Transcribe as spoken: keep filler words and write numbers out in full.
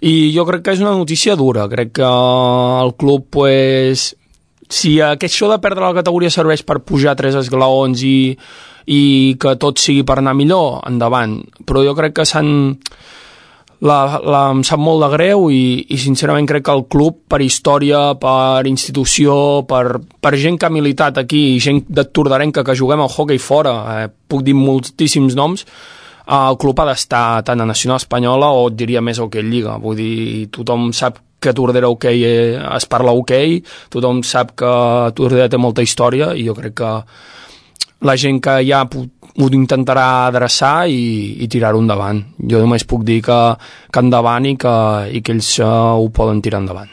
I jo crec que és una notícia dura, crec que el club, pues, si això de perdre la categoria serveix per pujar tres esglaons i, i que tot sigui per anar millor, endavant, però jo crec que s'han... La, la, em sap molt de greu i, i sincerament crec que el club, per història, per institució, per, per gent que ha militat aquí, gent de Tordarenca que juguem al hoquei fora, eh, puc dir moltíssims noms, eh, el club ha d'estar tant a Nacional Espanyola o et diria més hoquei Lliga. Vull dir, tothom sap que a Tordera hoquei eh, es parla hoquei, tothom sap que Tordera té molta història i jo crec que la gent que ja ho intentarà adreçar i, i tirar-ho endavant. Jo només puc dir que, que endavant i que, i que ells uh, ho poden tirar endavant.